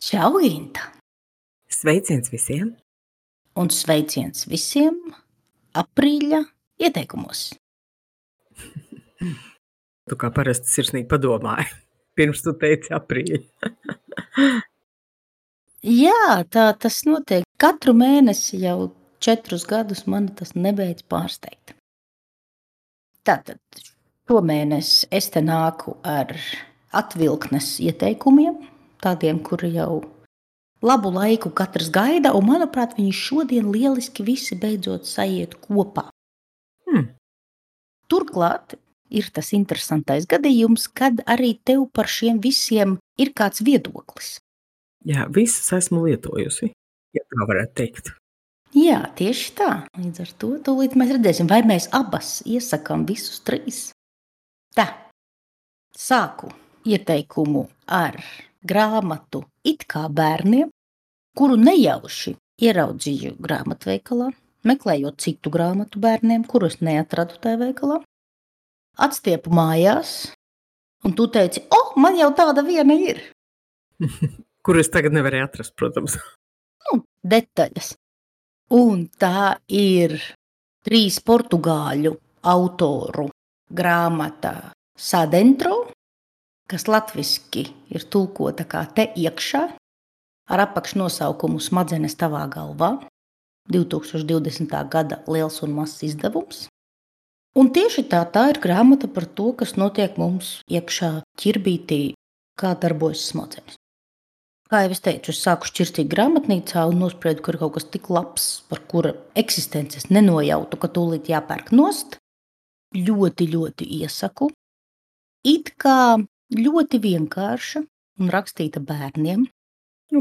Čau, Ginta! Sveiciens visiem! Un sveiciens visiem aprīļa ieteikumos. Tu kā parasti sirsnīgi padomāji, pirms tu teici aprīļa. Jā, tā tas notiek. Katru mēnesi jau 4 gadus mani tas nebeidz pārsteigt. Tātad šomēnes es te nāku ar atvilknes ieteikumiem, tādiem, kuri jau labu laiku katrs gaida, un manuprāt, viņi šodien lieliski visi beidzot sajiet kopā. Turklāt ir tas interesantais gadījums, kad arī tev par šiem visiem ir kāds viedoklis. Jā, visus esmu lietojusi, ja tā varētu teikt. Jā, tieši tā. Līdz ar to tūlīt mēs redzēsim, vai mēs abas iesakām visus 3. Tā, sāku ieteikumu ar grāmatu It kā bērniem, kuru nejauši ieraudzīju grāmatveikalā, meklējot citu grāmatu bērniem, kurus neatradu tajā veikalā. Atstiepu mājās, un tu teici, man jau tāda viena ir. Kur es tagad nevarēju atrast, protams. Detaļas. Un tā ir 3 portugāļu autoru grāmata Sadentro, kas latviski ir tulkota kā te iekšā, ar apakšnosaukumu Smadzenes tavā galvā, 2020. gada liels un mazs izdevums. Un tieši tā ir grāmata par to, kas notiek mums iekšā ķirbītī, kā darbojas smadzenes. Kā jau es teicu, es sāku šķirstīt grāmatnīcā un nospriedu, ka ir kaut kas tik labs, par kura eksistences nenojautu, ka tūlīt jāpērk nost. Ļoti, ļoti iesaku. It kā ļoti vienkārša un rakstīta bērniem.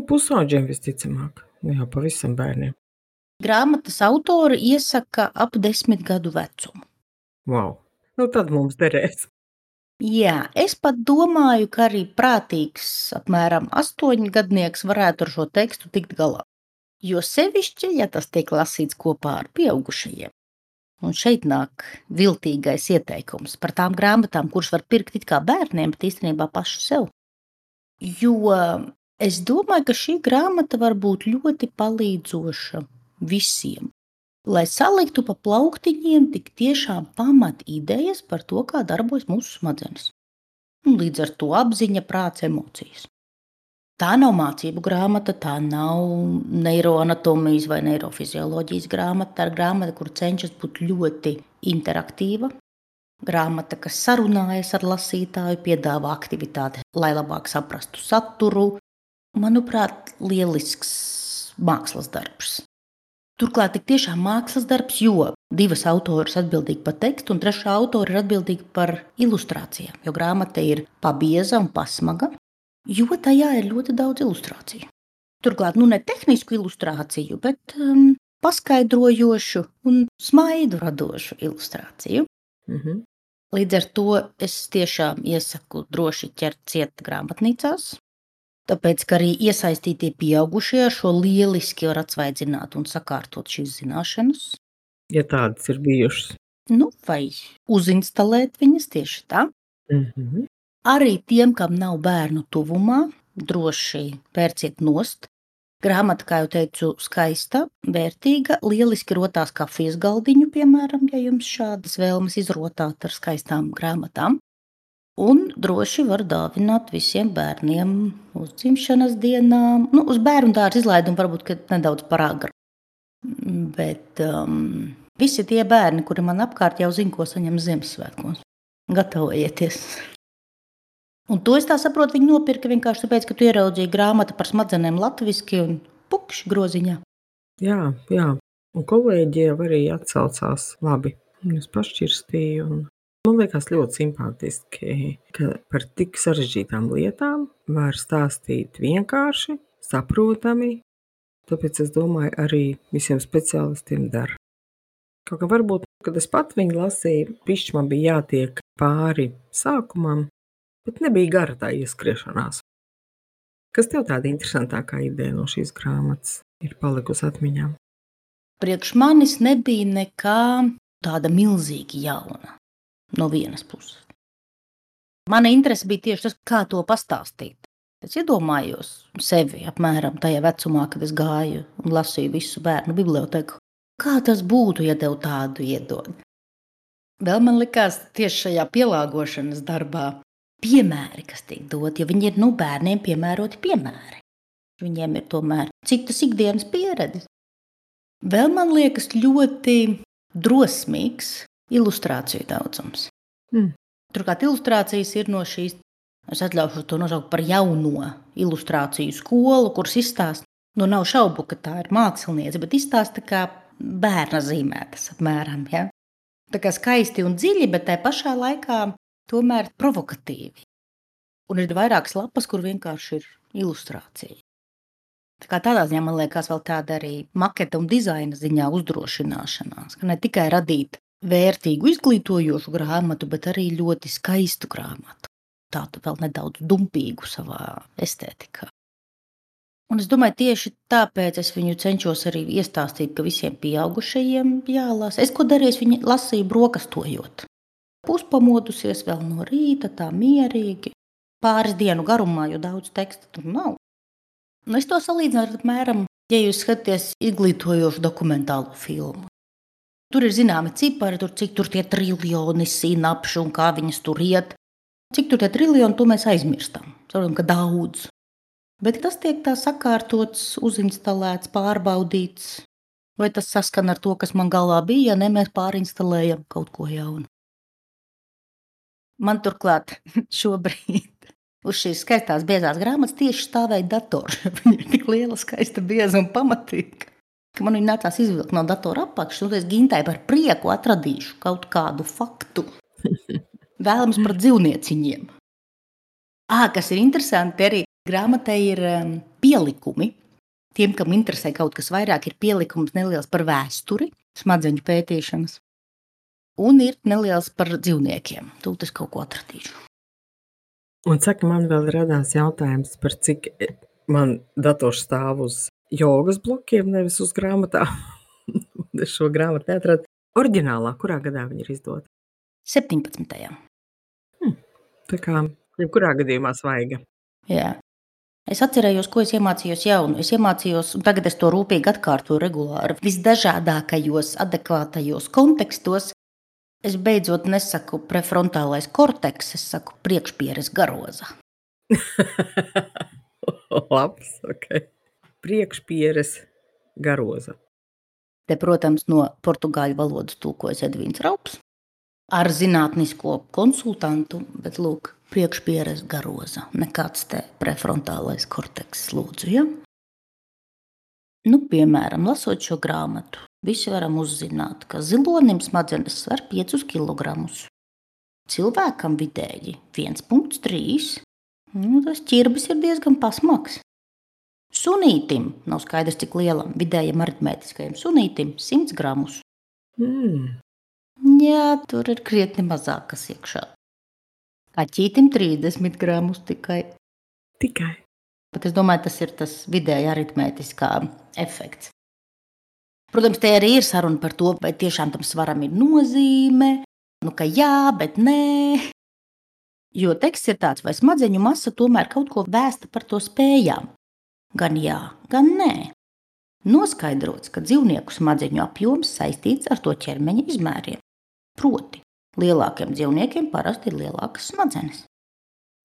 Pusauģiem visticamāk, jā, pavisam bērniem. Grāmatas autori iesaka ap 10 gadu vecumu. Wow, tad mums derēs. Jā, es pat domāju, ka arī prātīgs apmēram 8 gadnieks varētu ar šo tekstu tikt galā. Jo sevišķi, ja tas tiek lasīts kopā ar pieaugušajiem. Un šeit nāk viltīgais ieteikums par tām grāmatām, kuras var pirkt it kā bērniem, bet īstenībā pašu sev. Jo es domāju, ka šī grāmata var būt ļoti palīdzoša visiem. Lai saliktu pa plauktiņiem tik tiešām pamat idejas par to, kā darbojas mūsu smadzenes. Un līdz ar to apziņa, prāts, emocijas. Tā nav mācību grāmata, tā nav neiroanatomijas vai neirofizioloģijas grāmata. Tā ir grāmata, kur cenšas būt ļoti interaktīva. Grāmata, kas sarunājas ar lasītāju, piedāvā aktivitāti, lai labāk saprastu saturu. Manuprāt, lielisks mākslas darbs. Turklāt tik tiešām mākslas darbs, jo 2 autoras atbildīgi par tekstu, un 3. autora ir atbildīga par ilustrācijām, jo grāmata ir pabieza un pasmaga, jo tajā ir ļoti daudz ilustrāciju. Turklāt, ne tehnisku ilustrāciju, bet paskaidrojošu un smaidu radošu ilustrāciju. Līdz ar to es tiešām iesaku droši ķert ciet grāmatnīcās. Tāpēc, ka arī iesaistītie pieaugušie ar šo lieliski var atsvaidzināt un sakārtot šīs zināšanas. Ja tādas ir bijušas. Vai uzinstalēt viņas tieši tā. Arī tiem, kam nav bērnu tuvumā, droši pērciet nost. Grāmata, kā jau teicu, skaista, vērtīga, lieliski rotās kafijas galdiņu, piemēram, ja jums šādas vēlmes izrotāt ar skaistām grāmatām. Un droši var dāvināt visiem bērniem uz dzimšanas dienām. Uz bērnu dārza izlaidumu varbūt, ka nedaudz par agru. Bet visi tie bērni, kuri man apkārt jau zina, ko saņem Ziemassvētkos. Gatavojieties! Un to es tā saprotu, viņi nopirka vienkārši tāpēc, ka tu ieraudzīji grāmatu par smadzenēm latviski un pukšs groziņā. Jā. Un kolēģi jau arī atsaucās labi. Es pašķirstīju un man liekas ļoti simpātiski, ka par tik sarežģītām lietām var stāstīt vienkārši, saprotami. Tāpēc es domāju, arī visiem speciālistiem der. Kaut kā varbūt, kad es pat viņu lasīju, pišķi man bija jātiek pāri sākumam, bet nebija gara tā ieskriešanās. Kas tev tāda interesantākā ideja no šīs grāmatas ir palikusi atmiņā? Priekš manis nebija nekā tāda milzīgi jauna. No vienas puses. Mana interese bija tieši tas, kā to pastāstīt. Es iedomājos sevi apmēram tajā vecumā, kad es gāju un lasīju visu bērnu biblioteku. Kā tas būtu, ja tev tādu iedod? Vēl man likās tieši šajā pielāgošanas darbā piemēri, kas tiek doti, jo viņi ir bērniem piemēroti piemēri. Viņiem ir tomēr citas ikdienas pieredzes. Vēl man liekas ļoti drosmīgs ilustrāciju daudzums. Turklāt ilustrācijas ir no šīs, es atļaušu to nosaukt par jauno ilustrāciju skolu, kuras izstāsta, nav šaubu, ka tā ir māksliniece, bet izstāsta kā bērna zīmētas apmēram, ja? Tā kā skaisti un dziļi, bet tai pašā laikā tomēr provokatīvi. Un ir vairākas lapas, kur vienkārši ir ilustrācija. Tā kā tādā ziņā man liekas vēl tāda arī maketa un dizaina ziņā uzdrošināšanās, ka ne tikai radīt vērtīgu izglītojošu grāmatu, bet arī ļoti skaistu grāmatu. Tādu vēl nedaudz dumpīgu savā estētikā. Un es domāju, tieši tāpēc es viņu cenšos arī iestāstīt, ka visiem pieaugušajiem jālasa. Es ko darīju, es viņu lasīju brokastojot. Puspamodusies vēl no rīta, tā mierīgi, pāris dienu garumā, jo daudz teksta tur nav. Es to salīdzinu ar apmēram, ja jūs skatāties izglītojošu dokumentālu filmu. Tur ir zināmi cipari, cik tur tie triljoni sinapšu un kā viņas tur iet. Cik tur tie triljoni, to mēs aizmirstam. Saprotam, ka daudz. Bet tas tiek tā sakārtots, uzinstalēts, pārbaudīts. Vai tas saskan ar to, kas man galvā bija, ja ne mēs pārinstalējam kaut ko jaunu. Man turklāt šobrīd uz šīs skaistās biezās grāmatas tieši stāvēja dators. Viņa ir tik liela, skaista, bieza un pamatīga, ka man viņa nācās izvilkt no datora apakšas, un es Gintai par prieku atradīšu kaut kādu faktu. Vēlams par dzīvnieciņiem. Kas ir interesanti, arī grāmatai ir pielikumi. Tiem, kam interesē kaut kas vairāk, ir pielikums neliels par vēsturi, smadzeņu pētīšanas, un ir neliels par dzīvniekiem. Tūlīt es kaut ko atradīšu. Un saka, man vēl radās jautājums, par cik man dators stāv uz jogas blokiem, nevis uz grāmatām. Es šo grāmatu neatradu. Oriģinālā, kurā gadā viņa ir izdota? 17. Tā kā jebkurā gadījumā svaiga. Jā. Es atcerējos, ko es iemācījos jaunu. Es iemācījos, un tagad es to rūpīgi atkārtoju regulāri, visdažādākajos, adekvātajos kontekstos. Es beidzot nesaku prefrontālais korteks, es saku priekšpieres garoza. Labs, ok. Priekšpieres garoza. Te, protams, no portugāļu valodas tulkojas Edvīns Raups ar zinātnisko konsultantu, bet lūk, priekšpieres garoza. Nekāds te prefrontālais korteks, lūdzu, ja? Piemēram, lasot šo grāmatu, visi varam uzzināt, ka zilonim smadzenes sver 5 kilogramus. Cilvēkam vidēji 1,3. Tas ķirbis ir diezgan pasmaks. Sunītim, nav skaidrs cik lielam, vidējam aritmētiskajam sunītim 100 gramus. Jā, tur ir krietni mazāk kas iekšā. Kaķītim 30 gramus tikai. Tikai. Bet es domāju, tas ir tas vidēji aritmētiskā efekts. Protams, te arī ir saruna par to, vai tiešām tam svaram ir nozīme, ka jā, bet nē. Jo teksts ir tāds, vai smadzeņu masa tomēr kaut ko vēsta par to spējām. Gan jā, gan nē. Noskaidrots, ka dzīvnieku smadzeņu apjoms saistīts ar to ķermeņa izmēriem. Proti, lielākiem dzīvniekiem parasti ir lielākas smadzenes.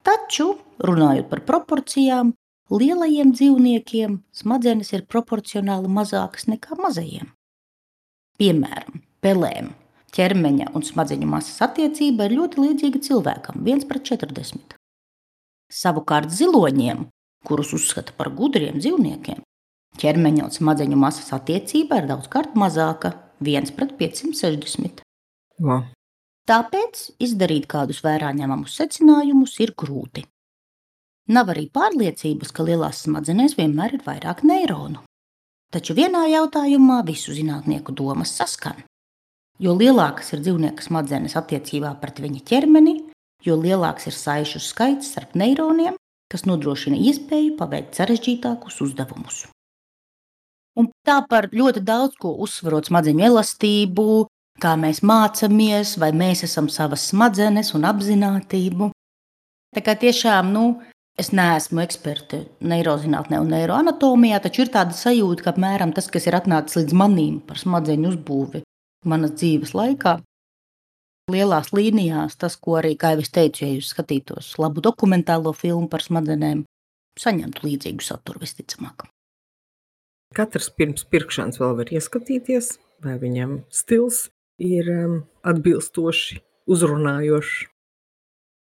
Taču, runājot par proporcijām, lielajiem dzīvniekiem smadzenes ir proporcionāli mazākas nekā mazajiem. Piemēram, pelēm ķermeņa un smadzeņu masas attiecība ir ļoti līdzīga cilvēkam, 1:40. Savukārt ziloņiem, kurus uzskata par gudriem dzīvniekiem, ķermeņa un smadzeņu masas attiecība ir daudzkārt mazāka, 1:560. Wow. Tāpēc izdarīt kādus vērā ņemamus secinājumus ir grūti. Nav arī pārliecības, ka lielās smadzenēs vienmēr ir vairāk neironu. Taču vienā jautājumā visu zinātnieku domas saskan. Jo lielākas ir dzīvnieka smadzenes attiecībā pret viņa ķermeni, jo lielāks ir saišu skaits starp neironiem, kas nodrošina iespēju paveikt sarežģītākus uzdevumus. Un tā par ļoti daudz ko uzsverot smadzeņu elastību, kā mēs mācamies, vai mēs esam savas smadzenes un apzinātību. Tā kā tiešām, Es neesmu eksperte neirozinātnē un neiroanatomijā, taču ir tāda sajūta, ka apmēram tas, kas ir atnācis līdz manim par smadzeņu uzbūvi manas dzīves laikā, lielās līnijās, tas, ko arī, kā jau es teicu, ja jūs skatītos labu dokumentālo filmu par smadzenēm, saņemtu līdzīgu saturu visticamāk. Katrs pirms pirkšanas vēl var ieskatīties, vai viņam stils ir atbilstoši uzrunājošs.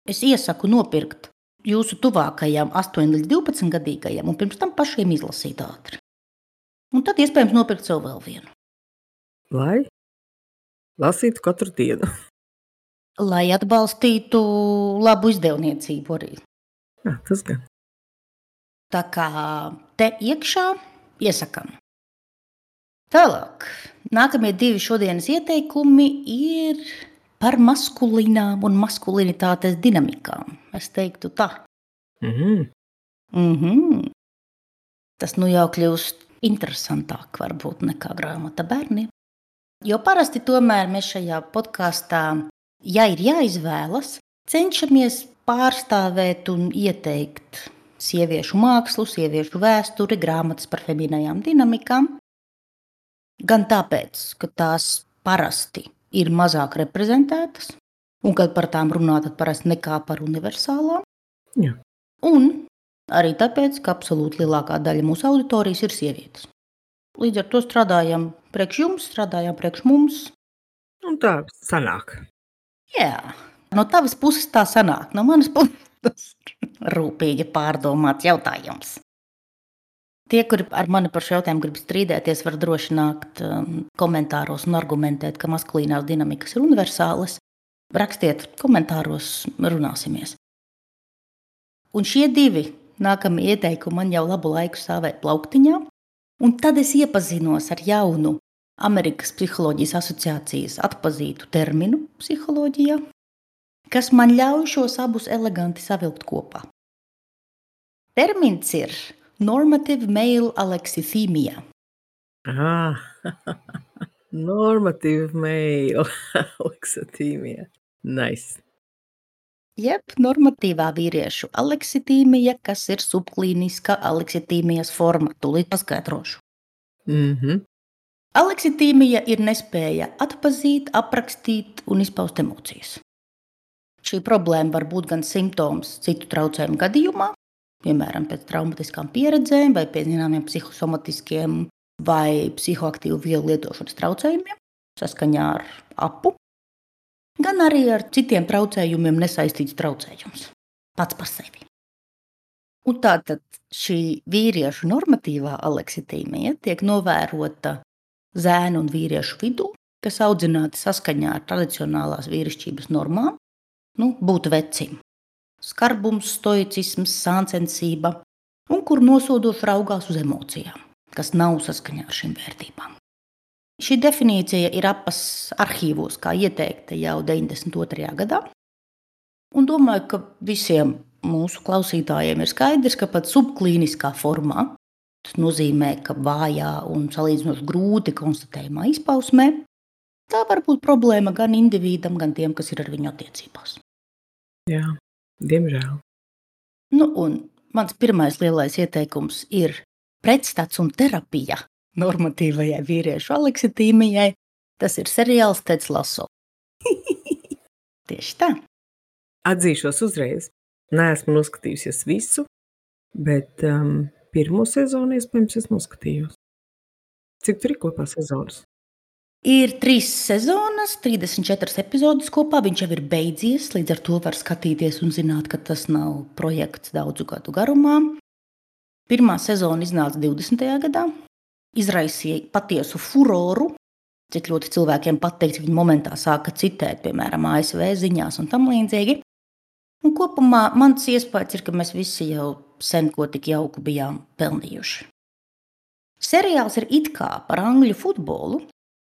Es iesaku nopirkt jūsu tuvākajām 8 līdz 12 gadīgajiem un pirms tam pašiem izlasīt ātri. Un tad iespējams nopirkt sev vēl vienu. Lai lasītu katru dienu. Lai atbalstītu labu izdevniecību arī. Jā, tas gan. Tā kā te iekšā iesakam. Tālāk, nākamie 2 šodienas ieteikumi ir par maskulīnām un maskulinitātes dinamikām. Es teiktu tā. Tas nu jau kļūst interesantāk varbūt nekā grāmata bērniem. Jo parasti tomēr mēs šajā podkāstā, ja ir jāizvēlas, cenšamies pārstāvēt un ieteikt sieviešu mākslu, sieviešu vēsturi, grāmatas par feminējām dinamikām. Gan tāpēc, ka tās parasti ir mazāk reprezentētas, un kad par tām runā, tad parasti nekā par universālām. Jā. Un arī tāpēc, ka absolūti lielākā daļa mūsu auditorijas ir sievietes. Līdz ar to strādājam priekš jums, strādājam priekš mums. Un tā sanāk. Jā, no tavas puses tā sanāk, no manas puses tas ir rūpīgi pārdomāts jautājums. Tie, kuri ar mani par šo jautājumu grib strīdēties, var droši nākt komentāros un argumentēt, ka maskulīnās dinamikas ir universālas. Rakstiet komentāros, runāsimies. Un šie 2 nākamie ieteikumi man jau labu laiku stāvēja plauktiņā, un tad es iepazinos ar jaunu Amerikas Psiholoģijas asociācijas atpazītu terminu psiholoģijā, kas man ļauj šos abus eleganti savilkt kopā. Termins ir normative male alexithymia. Normative male alexithymia. Nice. Jeb normatīvā vīriešu aleksitīmija, kas ir subklīniska aleksitīmijas forma. Tūlīt paskaidrošu. Aleksitīmija ir nespēja atpazīt, aprakstīt un izpaust emocijas. Šī problēma var būt gan simptoms citu traucējumu gadījumā, piemēram, pēc traumatiskām pieredzēm vai pēc zināmiem psihosomatiskiem vai psihoaktīvu vielu lietošanas traucējumiem, saskaņā ar apu, gan arī ar citiem traucējumiem nesaistīts traucējums pats par sevi. Un tātad šī vīriešu normatīvā aleksitīmija tiek novērota zēnu un vīriešu vidū, kas audzināti saskaņā ar tradicionālās vīrišķības normām, būt vecim. Skarbums, stoicisms, sāncensība, un kur nosodoši raugās uz emocijām, kas nav saskaņā ar šīm vērtībām. Šī definīcija ir apas arhīvos, kā ieteikta jau 92. gadā, un domāju, ka visiem mūsu klausītājiem ir skaidrs, ka pat subklīniskā formā, tas nozīmē, ka vājā un salīdzinoši grūti konstatējumā izpausmē, tā var būt problēma gan individam, gan tiem, kas ir ar viņu attiecībās. Jā. Diemžēl. Un mans pirmais lielais ieteikums ir pretstats un terapija normatīvajai vīriešu aleksitīmijai. Tas ir seriāls Teds Lasso. Tieši tā. Atzīšos uzreiz. Neesmu noskatījusies visu, bet pirmo sezonu iespējams es noskatījos. Cik tur ir kopā sezonas? Ir 3 sezonas, 34 epizodes kopā. Viņš jau ir beidzies, līdz ar to var skatīties un zināt, ka tas nav projekts daudzu gadu garumā. Pirmā sezona iznāca 20. gadā, izraisīja patiesu furoru, cik ļoti cilvēkiem patīk, viņi momentā sāka citēt, piemēram, ASV ziņās un tam līdzīgi. Un kopumā mans iespējas ir, ka mēs visi jau sen ko tik jauku bijām pelnījuši. Seriāls ir it kā par angļu futbolu,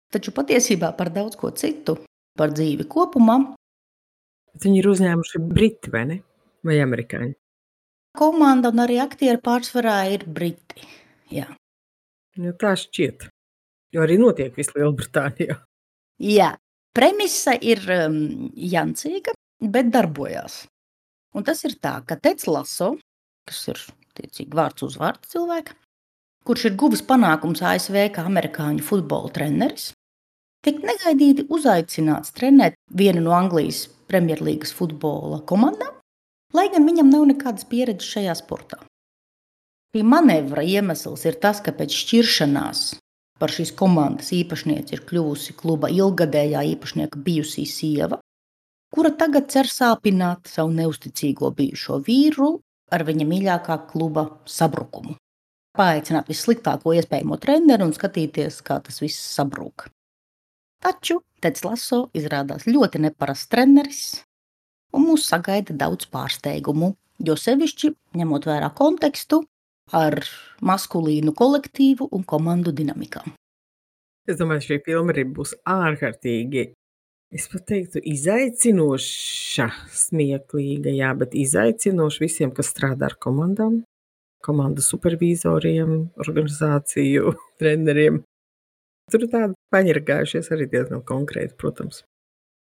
taču patiesībā par daudz ko citu, par dzīvi kopumā. Bet viņi ir uzņēmuši briti, vai ne? Vai amerikāņi? Komanda un arī aktieri pārsvarā ir briti. Jā. Jo tā šķiet. Jo arī notiek visu Lielbritānijā. Jā. Premisa ir jancīga, bet darbojās. Un tas ir tā, ka Teds Lasso kas ir tiecīgi vārds uz vārdu cilvēka, kurš ir guvis panākums ASV kā amerikāņu futbola treneris, tiek negaidīti uzaicināts trenēt vienu no Anglijas Premjerlīgas futbola komandām, lai gan viņam nav nekādas pieredzes šajā sportā. Šī manevra iemesls ir tas, ka pēc šķiršanās par šīs komandas īpašnieci ir kļuvusi kluba ilggadējā īpašnieka bijusī sieva, kura tagad cer sāpināt savu neusticīgo bijušo vīru ar viņa mīļākā kluba sabrukumu. Paaicināt vissliktāko iespējamo treneri un skatīties, kā tas viss sabrūk. Taču Teds Lasso izrādās ļoti neparasts treneris, un mūs sagaida daudz pārsteigumu, jo sevišķi ņemot vērā kontekstu ar maskulīnu kolektīvu un komandu dinamikām. Es domāju, šī filma arī būs ārkārtīgi, es pat teiktu, izaicinoša, smieklīga, jā, bet izaicinoša visiem, kas strādā ar komandām, komandu supervīzoriem, organizāciju treneriem. Tur ir tādi paņirgājušies arī diezgan konkrēti, protams.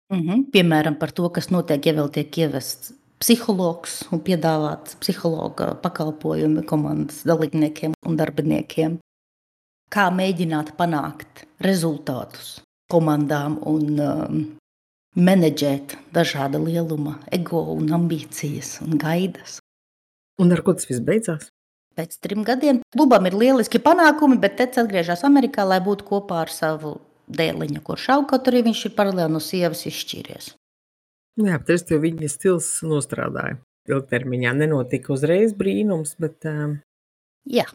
Piemēram, par to, kas notiek, ja vēl tiek ievests psihologs un piedāvāts psihologa pakalpojumi komandas dalībniekiem un darbiniekiem. Kā mēģināt panākt rezultātus komandām un menedžēt dažāda lieluma ego un ambīcijas un gaidas. Un ar ko tas viss beidzās? Pēc 3 gadiem klubam ir lieliski panākumi, bet Teds atgriežas Amerikā, lai būtu kopā ar savu dēliņu, kurš aug, kaut arī viņš ir paralēli no sievas izšķīries. Jā, bet es tev viņa stils nostrādāju. Ilgtermiņā nenotika uzreiz brīnums, bet... Jā.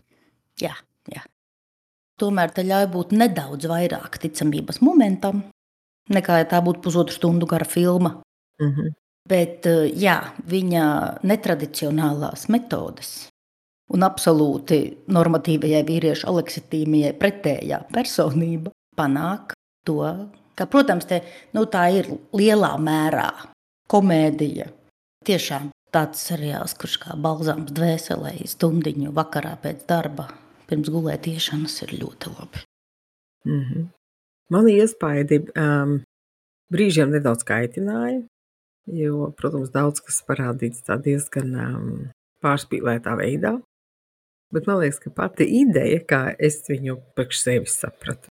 Tomēr te ļauj būt nedaudz vairāk ticamības momentam, nekā ja tā būtu 1,5 stundu gara filma. Bet jā, viņa netradicionālās metodes un absolūti normatīvajai vīriešu aleksitīmijai pretējā personība panāk to, ka, protams, tā ir lielā mērā komēdija. Tiešām tāds seriāls, kurš kā balzāms dvēselē stundiņu vakarā pēc darba, pirms gulētiešanas ir ļoti labi. Man iespaidi brīžiem nedaudz kaitināja, jo, protams, daudz kas parādīts tā diezgan pārspīlētā veidā. Bet man liekas, ka pati ideja, kā es viņu priekš sevis sapratu,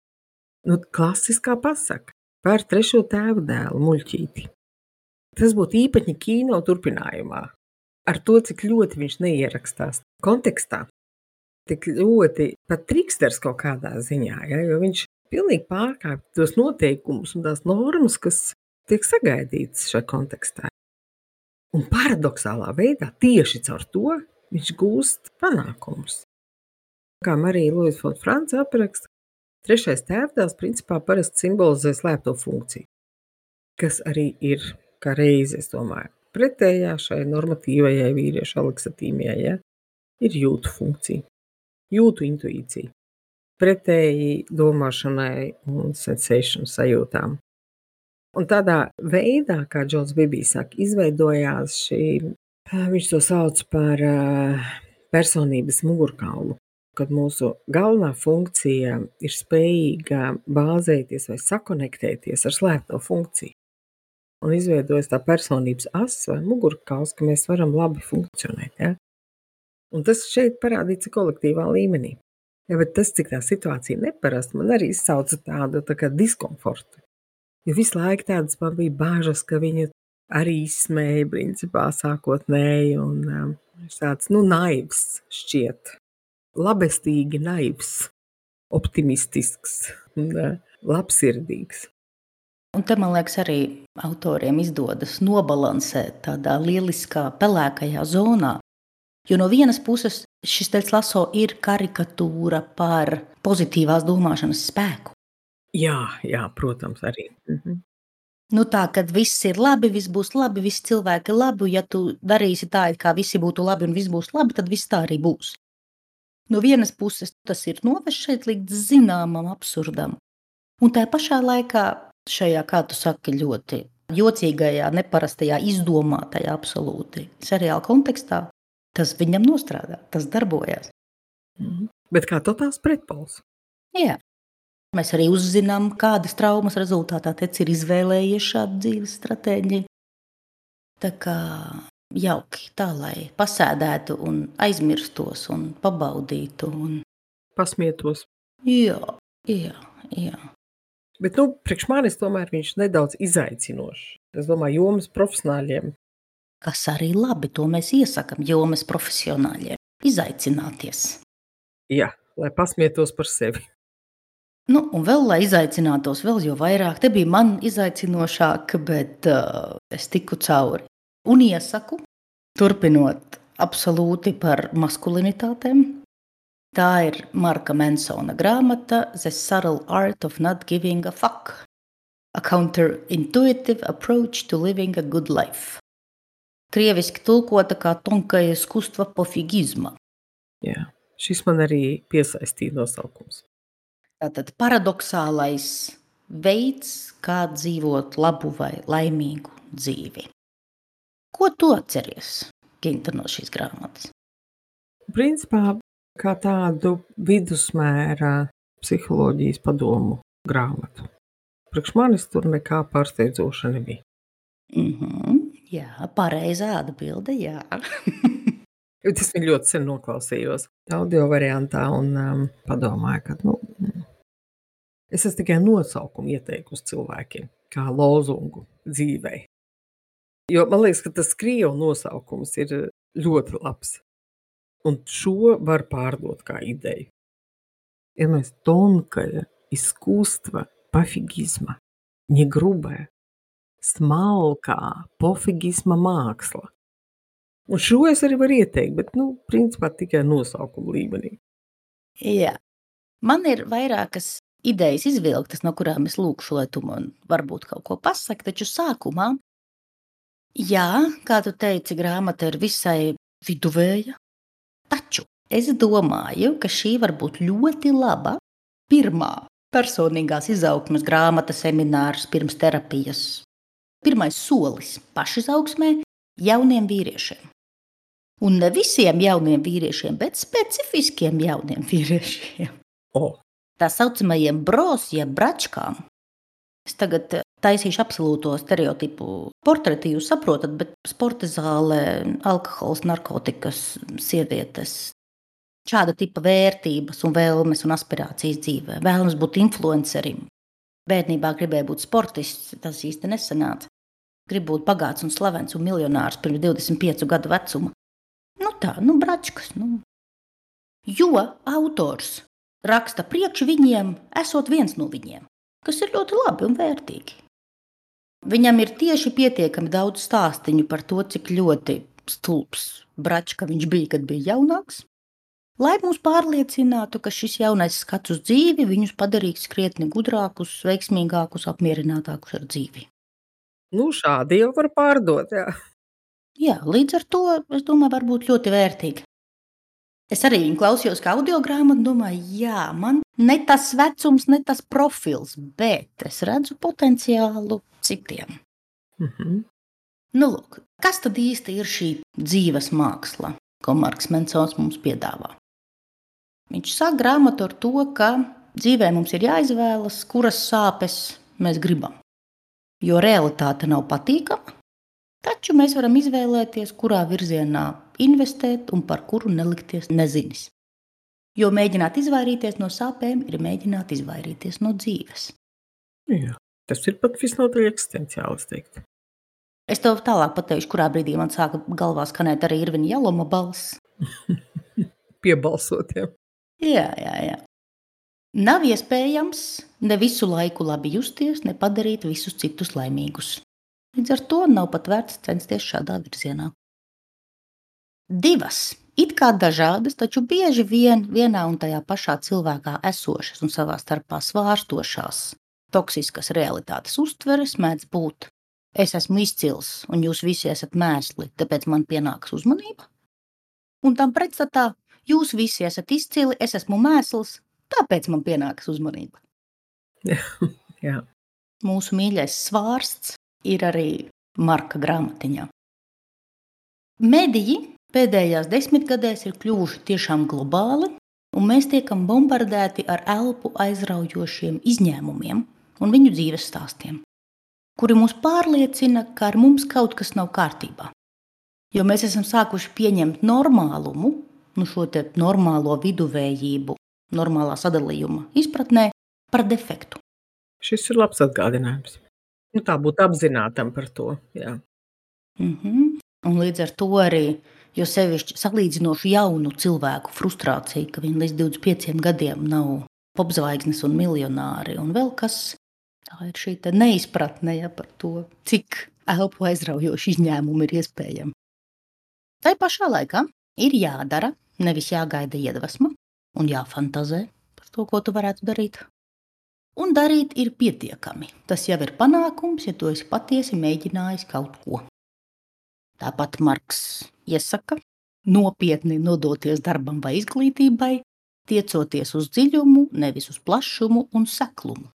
klasiskā pasaka par 3. tēvu dēlu muļķīti. Tas būtu īpaņi kino turpinājumā. Ar to, cik ļoti viņš neierakstās kontekstā, tik ļoti pat triksters kaut kādā ziņā, ja, jo viņš pilnīgi pārkāpj tos noteikumus un tās normas, kas tiek sagaidītas šajā kontekstā. Un paradoxālā veidā tieši caur to viņš gūst panākumus. Kā Marija Luisa Fonda Franca apraksta, 3. tēvdēls principā parasti simbolizē slēpto funkciju, kas arī ir, kā reizi, es domāju, pretējā šai normatīvajai vīriešu aleksatīmijai, ja, ir jūtu funkcija, jūtu intuīcija, pretēji domāšanai un sensation sajūtām. Un tādā veidā, kā Džons Bibī saka, izveidojās šī, viņš to sauc par personības mugurkaulu, kad mūsu galvenā funkcija ir spējīga bāzēties vai sakonektēties ar slēpto funkciju. Un izveidojas tā personības asa vai mugurkauls, ka mēs varam labi funkcionēt. Ja? Un tas šeit parādīts kolektīvā līmenī. Ja, bet tas, cik tā situācija neparasta, man arī izsauca tādu tā kā diskomfortu. Jo visu laiku tādas man bija bāžas, ka viņu arī izsmēja principā sākotnēji un tāds, naivs šķiet. Labestīgi naivs, optimistisks, labsirdīgs. Un te, man liekas, arī autoriem izdodas nobalansēt tādā lieliskā pelēkajā zonā. Jo no vienas puses šis Teds Lasso ir karikatūra par pozitīvās domāšanas spēku. Jā, protams, arī. Tā, kad viss ir labi, viss būs labi, visi cilvēki ir labi, ja tu darīsi tā, kā visi būtu labi un viss būs labi, tad viss tā arī būs. No vienas puses tas ir novest šeit līdz zināmam absurdam. Un tā pašā laikā šajā, kā tu saki, ļoti jocīgajā, neparastajā, izdomātajā absolūti seriāla kontekstā, tas viņam nostrādā, tas darbojas. Bet kā totāls pretpols? Jā. Mēs arī uzzinām, kādas traumas rezultātā Teds ir izvēlējies šādu dzīves stratēģiju. Tā kā jauki, tā lai pasēdētu un aizmirstos un pabaudītu. Pasmietos. Jā. Bet, priekš manis tomēr viņš nedaudz izaicinošs. Es domāju, jomas profesionāļiem. Kas arī labi, to mēs iesakam jomas profesionāļiem. Izaicināties. Jā, lai pasmietos par sevi. Un vēl, lai izaicinātos vēl jo vairāk, te bija man izaicinošāk, bet es tiku cauri. Un iesaku, turpinot absolūti par maskulinitātēm. Tā ir Marka Mansona grāmata The Subtle Art of Not Giving a Fuck. A Counterintuitive Approach to Living a Good Life. Krieviski tulkota kā Tonkaja iskustva pofigizma. Jā, šis man arī piesaistīja nosaukums. Tātad paradoxālais veids, kā dzīvot labu vai laimīgu dzīvi. Ko tu atceries, Ginta, no šīs grāmatas? Principā, kā tādu vidusmēra psiholoģijas padomu grāmatu. Priekš manis tur nekā pārsteidzoša nebija. Jā, pareizā atbilde, jā. Es viņu ļoti sen noklausījos audio variantā un padomāju, ka es esmu tikai nosaukumu ieteikusi cilvēkiem, kā lozungu dzīvei. Jo man liekas, ka tas krievu nosaukums ir ļoti labs. Un šo var pārdot kā ideju. Ja mēs Tonkaja искусство пофигизма, не грубая, smalkā pofigisma māksla. Un šo es arī varu ieteikt, bet, principā tikai nosaukuma līmenī. Jā. Man ir vairākas idejas izvilktas, no kurām es lūkšu, lai tu man varbūt kaut ko pasaki, taču sākumā, jā, kā tu teici, grāmata ir visai viduvēja, taču es domāju, ka šī var būt ļoti laba pirmā personīgās izaugsmes grāmata seminārs pirms terapijas. Pirmais solis pašizaugsmē jauniem vīriešiem. Un ne visiem jauniem vīriešiem, bet specifiskiem jauniem vīriešiem. Tā saucamajiem bros, jeb bračkām. Es tagad taisīšu absolūto stereotipu portreti, jūs saprotat, bet sporta zāle, alkohols, narkotikas, sievietes. Šāda tipa vērtības un vēlmes un aspirācijas dzīvē. Vēlams būt influencerim. Bērnībā gribēja būt sportists, tas īsti nesanāca. Grib būt bagāts un slavens un miljonārs pirms 25 gadu vecuma. Bračkas. Jo autors raksta priekš viņiem, esot viens no viņiem, kas ir ļoti labi un vērtīgi. Viņam ir tieši pietiekami daudz stāstiņu par to, cik ļoti stulbs bračka viņš bija, kad bija jaunāks, lai mūs pārliecinātu, ka šis jaunais skats uz dzīvi viņus padarīs krietni gudrākus, veiksmīgākus, apmierinātākus ar dzīvi. Šādi jau var pārdot, jā. Jā, līdz ar to, es domāju, var būt ļoti vērtīgi. Es arī viņu klausījos kā audio grāmatu, domāju, jā, man ne tas vecums, ne tas profils, bet es redzu potenciālu citiem. Lūk, kas tad īsti ir šī dzīves māksla, ko Marks Mansons mums piedāvā? Viņš sāk grāmatu ar to, ka dzīvē mums ir jāizvēlas, kuras sāpes mēs gribam. Jo realitāte nav patīkama, taču mēs varam izvēlēties, kurā virzienā investēt un par kuru nelikties nezinis. Jo mēģināt izvairīties no sāpēm ir mēģināt izvairīties no dzīves. Jā, tas ir pat visnotaļ eksistenciāli, es teiktu. Es tev tālāk pateikšu, kurā brīdī man sāka galvā skanēt arī Irvina Jaloma balss. Piebalsotiem. Jā. Nav iespējams ne visu laiku labi justies, ne padarīt visus citus laimīgus. Līdz ar to nav pat vērts censties šādā virzienā. Divas, it kā dažādas, taču bieži vien vienā un tajā pašā cilvēkā esošas un savā starpā svārstošās toksiskas realitātes uztveres mēdz būt. Es esmu izcils un jūs visi esat mēsli, tāpēc man pienāks uzmanība. Un tam pretstatā jūs visi esat izcili, es esmu mēsls, tāpēc man pienāks uzmanība. Jā. Mūsu mīļais svārsts ir arī Marka grāmatiņā. Mediji pēdējās 10 gadēs ir kļuvuši tiešām globāli, un mēs tiekam bombardēti ar elpu aizraujošiem izņēmumiem un viņu dzīves stāstiem, kuri mūs pārliecina, ka ar mums kaut kas nav kārtībā. Jo mēs esam sākuši pieņemt normālumu, šo te normālo viduvējību, normālā sadalījuma izpratnē par defektu. Šis ir labs atgādinājums. Tā būt apzinātam par to, jā. Un līdz ar to arī, jo sevišķi salīdzinoši jaunu cilvēku frustrācija, ka viņi līdz 25 gadiem nav popzvaigznes un miljonāri un vēl kas, tā ir šī te neizpratne par to, cik elpu aizraujoši izņēmumi ir iespējami. Tai pašā laikā ir jādara, nevis jāgaida iedvesma un jāfantazē par to, ko tu varētu darīt. Un darīt ir pietiekami. Tas jau ir panākums, ja tu esi patiesi mēģinājis kaut ko. Tāpat Marks iesaka nopietni nodoties darbam vai izglītībai, tiecoties uz dziļumu, nevis uz plašumu un seklumu.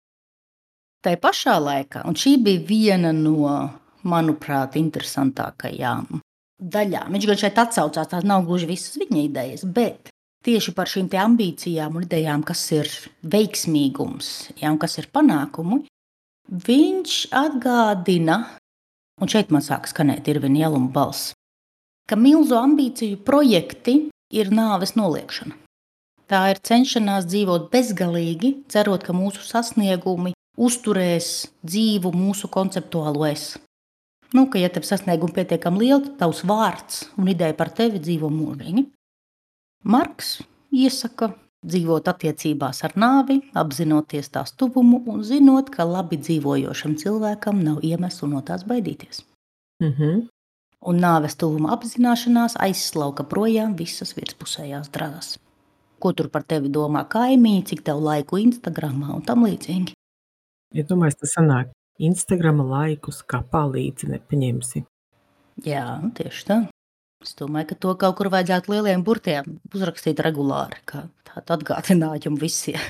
Tai pašā laikā, un šī bija viena no, manuprāt, interesantākajām daļām. Viņš gan šeit atsaucās, tās nav gluži visas viņa idejas, bet tieši par šīm te ambīcijām un idejām, kas ir veiksmīgums, un kas ir panākumi, viņš atgādina, un šeit man sāk skanēt Irvina Jeluma balss, ka milzu ambīciju projekti ir nāves noliekšana. Tā ir cenšanās dzīvot bezgalīgi, cerot, ka mūsu sasniegumi uzturēs dzīvu mūsu konceptuālo es. Ka, ja tev sasniegumi pietiekami lieli, tad tavs vārds un ideja par tevi dzīvo mūžīgi. Marks iesaka dzīvot attiecībās ar nāvi, apzinoties tās tuvumu un zinot, ka labi dzīvojošam cilvēkam nav iemeslu no tās baidīties. Un nāves tuvuma apzināšanās aizslauka projām visas virspusējās drāzas. Ko tur par tevi domā kaimiņi, cik tev laiku Instagramā un tam līdzīgi? Ja domāju, tas sanāk, Instagrama laikus kapā līdzi nepaņemsi. Jā, tieši tā. Es domāju, ka to kaut kur vajadzētu lieliem burtiem uzrakstīt regulāri, kā tādu atgādinājumu visiem.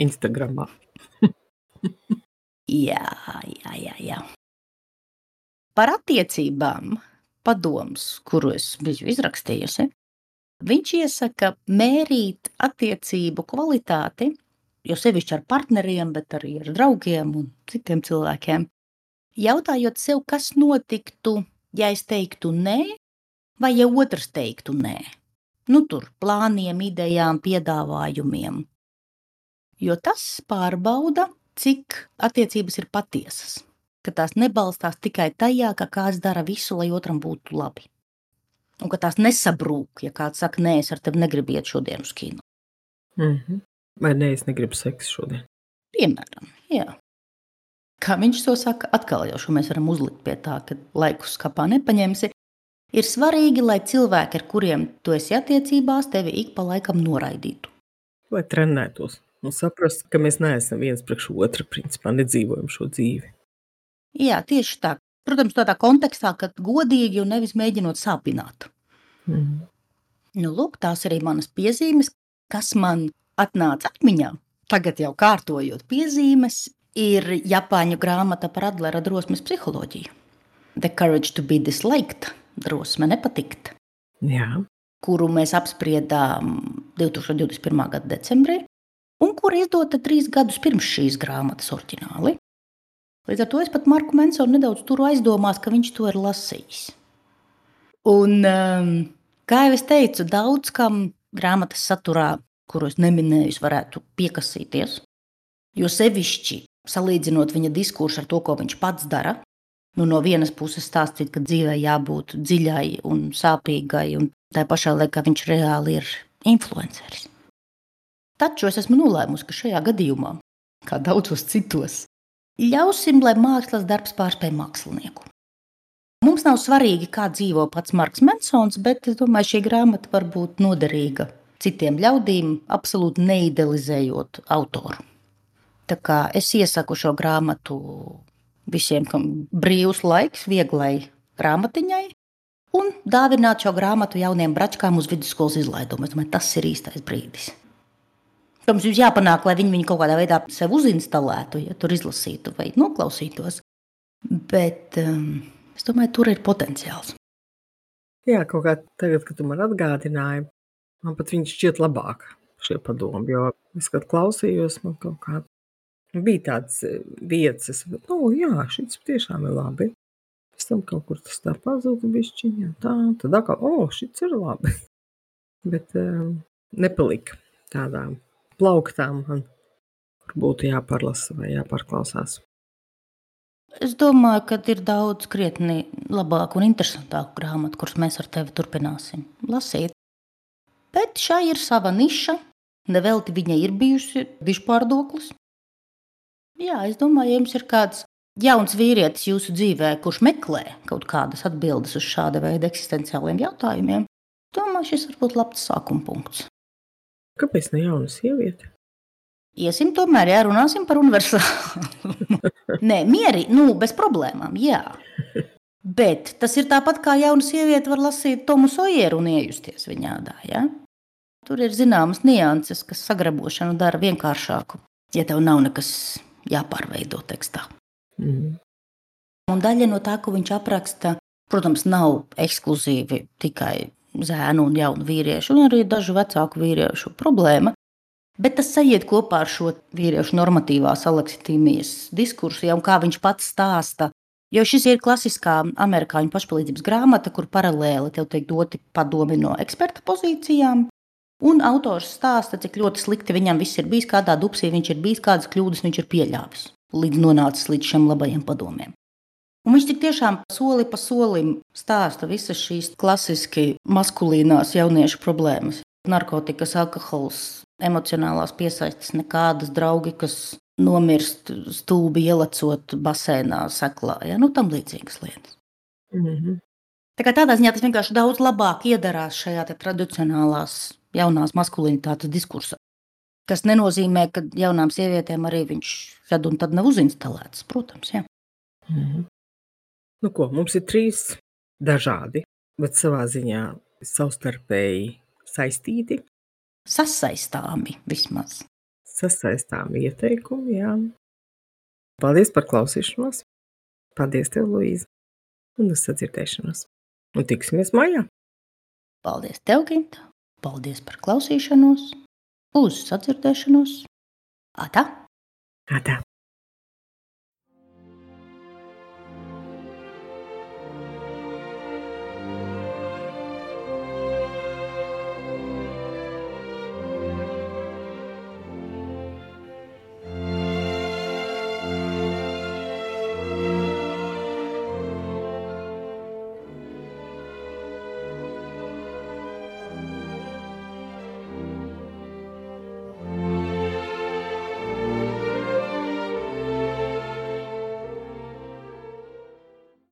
Instagramā. Jā. Par attiecībām padoms, kuru es biju izrakstījusi, viņš iesaka mērīt attiecību kvalitāti, jo sevišķi ar partneriem, bet arī ar draugiem un citiem cilvēkiem, jautājot sev, kas notiktu, ja es teiktu nē, vai ja otrs teiktu nē. Tur plāniem, idejām, piedāvājumiem. Jo tas pārbauda, cik attiecības ir patiesas, ka tās nebalstās tikai tajā, ka kāds dara visu, lai otram būtu labi. Un ka tās nesabrūk, ja kāds saka, nē, es ar tevi negribu iet šodien uz kino. Vai nē, es negribu seksu šodien? Piemēram, jā. Kā viņš to saka, atkal jau šo mēs varam uzlikt pie tā, ka laikus kapā nepaņemsi. Ir svarīgi, lai cilvēki, ar kuriem tu esi attiecībās, tevi ik pa laikam noraidītu. Lai trenētos un saprastu, ka mēs neesam viens priekš otra, principā nedzīvojam šo dzīvi. Jā, tieši tā. Protams, tādā kontekstā, ka godīgi un nevis mēģinot sāpināt. Lūk, tās arī manas piezīmes, kas man atnāca atmiņā. Tagad jau kārtojot piezīmes, ir Japāņu grāmata par Adlera drosmes psiholoģiju. The Courage to be Disliked, drosme nepatikt. Jā. Kuru mēs apspriedām 2021. gada decembrī, un kura izdota 3 gadus pirms šīs grāmatas oriģināli. Līdz ar to es pat Marku Mansonu nedaudz turu aizdomās, ka viņš to ir lasījis. Un, kā jau es teicu, daudz kam grāmatas saturā, kuru es neminēju, varētu piekasīties, jo sevišķi salīdzinot viņa diskursu ar to, ko viņš pats dara, no vienas puses stāstīt, ka dzīvē jābūt dziļai un sāpīgai, un tā pašā laikā viņš reāli ir influenceris. Taču es esmu nolēmusi, ka šajā gadījumā, kā daudzos citos, ļausim, lai mākslas darbs pārspēj mākslinieku. Mums nav svarīgi, kā dzīvo pats Marks Mansons, bet es domāju, šī grāmata var būt noderīga citiem ļaudīm, absolūti neidealizējot autoru. Tā kā es iesaku šo grāmatu visiem, kam brīvs laiks, vieglai grāmatiņai, un dāvināt šo grāmatu jauniem bračkām uz vidusskolas izlaidumu. Es domāju, tas ir īstais brīdis. Mums jums jāpanāk, lai viņi kaut kādā veidā sev uzinstalētu, ja tur izlasītu vai noklausītos. Bet es domāju, tur ir potenciāls. Jā, kaut kā tagad, kad tu man atgādināji, man pat viņš šķiet labāk šie padomi, jo es, kad klausījos, man kaut kā bija tāds vietas, bet, jā, šis tiešām ir labi. Es tam kaut kur tas tā pazuda bišķiņā, tā, tad atkal, šits ir labi. Bet nepalika tādām plauktām man, kur būtu jāparlasa vai jāpārklausās. Es domāju, ka ir daudz krietni labāku un interesantāku grāmatu, kuras mēs ar tevi turpināsim lasīt. Bet šai ir sava niša, nevelti viņai ir bijusi dižpārdoklis. Jā, es domāju, ja jums ir kāds jauns vīrietis jūsu dzīvē, kurš meklē kaut kādas atbildes uz šāda veida eksistenciāliem jautājumiem, domāju, šis var būt labs sākuma punkts. Kāpēc ne jauna sieviete? Iesim tomēr, jā, runāsim par universālu. Nē, mieri, bez problēmām, jā. Bet tas ir tāpat, kā jauna sieviete var lasīt Tomu Sojeru un iejusties viņādā, jā? Tur ir zināmas nianses, kas sagrabošanu dara vienkāršāku, ja tev nav nekas jāpārveido tekstā. Un daļa no tā, ko viņš apraksta, protams, nav ekskluzīvi tikai zēnu un jaunu vīriešu, un arī dažu vecāku vīriešu problēma. Bet tas sajiet kopā ar šo vīriešu normatīvās aleksitīmijas diskursu, jau kā viņš pats stāsta. Jo šis ir klasiskā amerikāņu pašpalīdzības grāmata, kur paralēli tev tiek doti padomi no eksperta pozīcijām. Un autors stāsta, cik ļoti slikti viņam viss ir bijis, kādā dupsī viņš ir bijis, kādas kļūdas viņš ir pieļāvis, līdz nonācis līdz šiem labajiem padomiem. Un viņš tik tiešām soli pa solim stāsta visas šīs klasiski maskulīnās jauniešu problēmas. Narkotikas, alkohols, emocionālās piesaistes nekādas, draugi, kas nomirst stulbi ielecot basēnā, seklā, tam līdzīgas lietas. Tā kā tādā ziņā tas vienkārši daudz labāk iedarās šajā tradicionālās jaunās maskulinitātes diskursā, kas nenozīmē, ka jaunām sievietēm arī viņš šad un tad nav uzinstalēts, protams, jā. Nu ko, mums ir 3 dažādi, bet savā ziņā savstarpēji saistīti. Sasaistāmi vismaz. Sasaistāmi ieteikumi, jā. Paldies par klausīšanos. Paldies tev, Luīza. Un uz sadzirdēšanos. Un tiksimies mājā. Paldies tev, Ginta. Paldies par klausīšanos. Uz sadzirdēšanos. Atā. Atā.